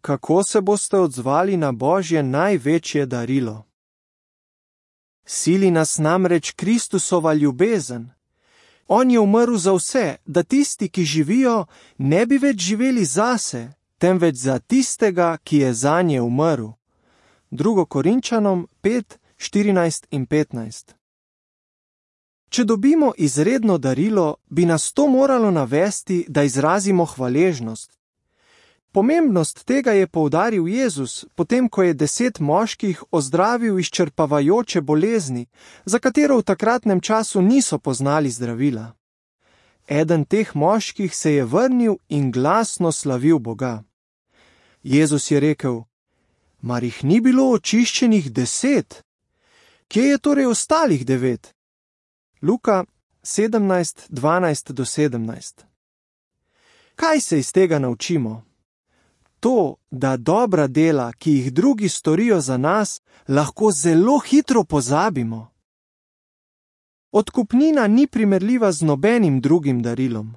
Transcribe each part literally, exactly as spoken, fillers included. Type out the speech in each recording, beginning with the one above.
Kako se boste odzvali na Božje največje darilo? Sili nas namreč Kristusova ljubezen. On je umrl za vse, da tisti, ki živijo, ne bi več živeli zase, temveč za tistega, ki je zanje umrl. drugo Korinčanom pet, štirinajst in petnajst. Če dobimo izredno darilo, bi nas to moralo navesti, da izrazimo hvaležnost. Pomembnost tega je poudaril Jezus, potem ko je deset moških ozdravil izčrpavajoče bolezni, za katero v takratnem času niso poznali zdravila. Eden teh moških se je vrnil in glasno slavil Boga. Jezus je rekel: Mar jih ni bilo očiščenih deset? Kje je torej ostalih devet? Luka sedemnajst, dvanajst do sedemnajst. Kaj se iz tega naučimo? To, da dobra dela, ki jih drugi storijo za nas, lahko zelo hitro pozabimo. Odkupnina ni primerljiva z nobenim drugim darilom.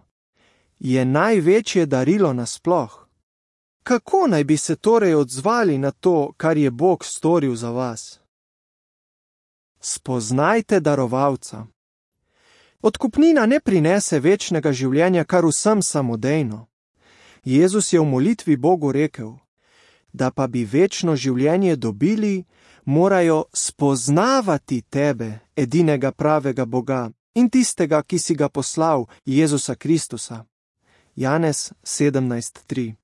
Je največje darilo nasploh. Kako naj bi se torej odzvali na to, kar je Bog storil za vas? Spoznajte darovalca. Odkupnina ne prinese večnega življenja kar vsem samodejno. Jezus je v molitvi Bogu rekel: Da pa bi večno življenje dobili, morajo spoznavati tebe, edinega pravega Boga, in tistega, ki si ga poslal, Jezusa Kristusa. Janez sedemnajst tri.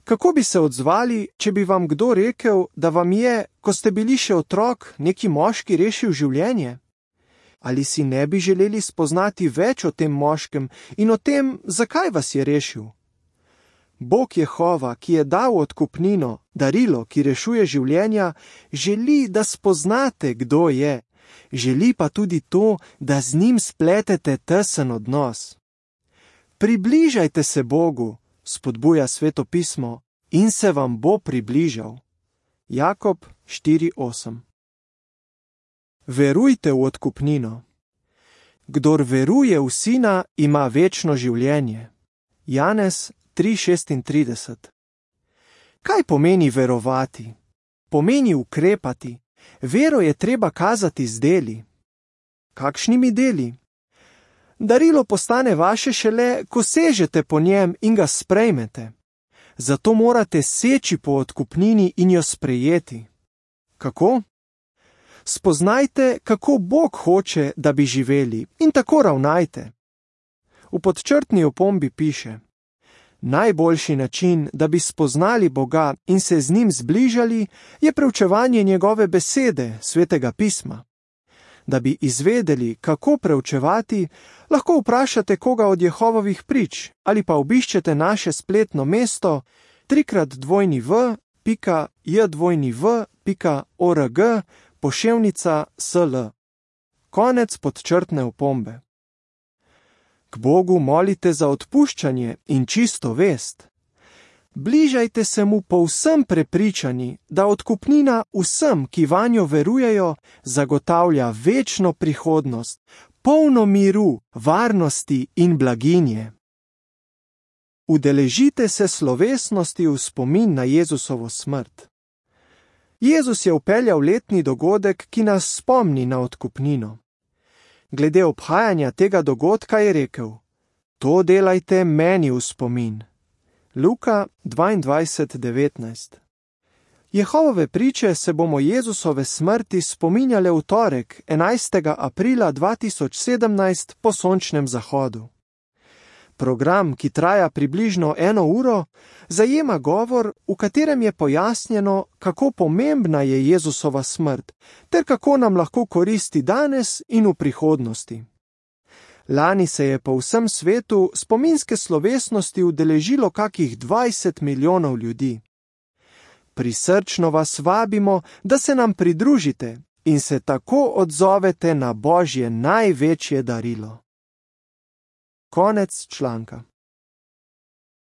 Kako bi se odzvali, če bi vam kdo rekel, da vam je, ko ste bili še otrok, neki moški rešil življenje? Ali si ne bi želeli spoznati več o tem moškem in o tem, zakaj vas je rešil? Bog Jehova, ki je dal odkupnino, darilo, ki rešuje življenja, želi, da spoznate, kdo je. Želi pa tudi to, da z njim spletete tesen odnos. Približajte se Bogu, spodbuja Sveto pismo, in se vam bo približal. Jakob štiri osem. Verujte v odkupnino. Kdor veruje v Sina, ima večno življenje. Janez tri šestintrideset. Kaj pomeni verovati? Pomeni ukrepati. Vero je treba kazati z deli. Kakšnimi deli? Darilo postane vaše šele, ko sežete po njem in ga sprejmete. Zato morate seči po odkupnini in jo sprejeti. Kako? Spoznajte, kako Bog hoče, da bi živeli, in tako ravnajte. V podčrtni opombi piše: Najboljši način, da bi spoznali Boga in se z njim zbližali, je preučevanje njegove besede, Svetega pisma. Da bi izvedeli, kako preučevati, lahko vprašate koga od Jehovovih prič ali pa obiščete naše spletno mesto trikrat dvojni v pika jdvojni pika org poševnica sl. Konec podčrtne opombe. K Bogu molite za odpuščanje in čisto vest. Bližajte se mu povsem prepričani, da odkupnina vsem, ki vanjo verujejo, zagotavlja večno prihodnost, polno miru, varnosti in blaginje. Udeležite se slovesnosti v spomin na Jezusovo smrt. Jezus je vpeljal letni dogodek, ki nas spomni na odkupnino. Glede obhajanja tega dogodka je rekel: To delajte meni v spomin. Luka dvaindvajset devetnajst. Jehovove priče se bomo Jezusove smrti spominjale v torek, enajstega aprila dva tisoč sedemnajst po sončnem zahodu. Program, ki traja približno eno uro, zajema govor, v katerem je pojasnjeno, kako pomembna je Jezusova smrt, ter kako nam lahko koristi danes in v prihodnosti. Lani se je po vsem svetu spominske slovesnosti udeležilo kakih dvajset milijonov ljudi. Prisrčno vas vabimo, da se nam pridružite in se tako odzovete na Božje največje darilo. Konec članka.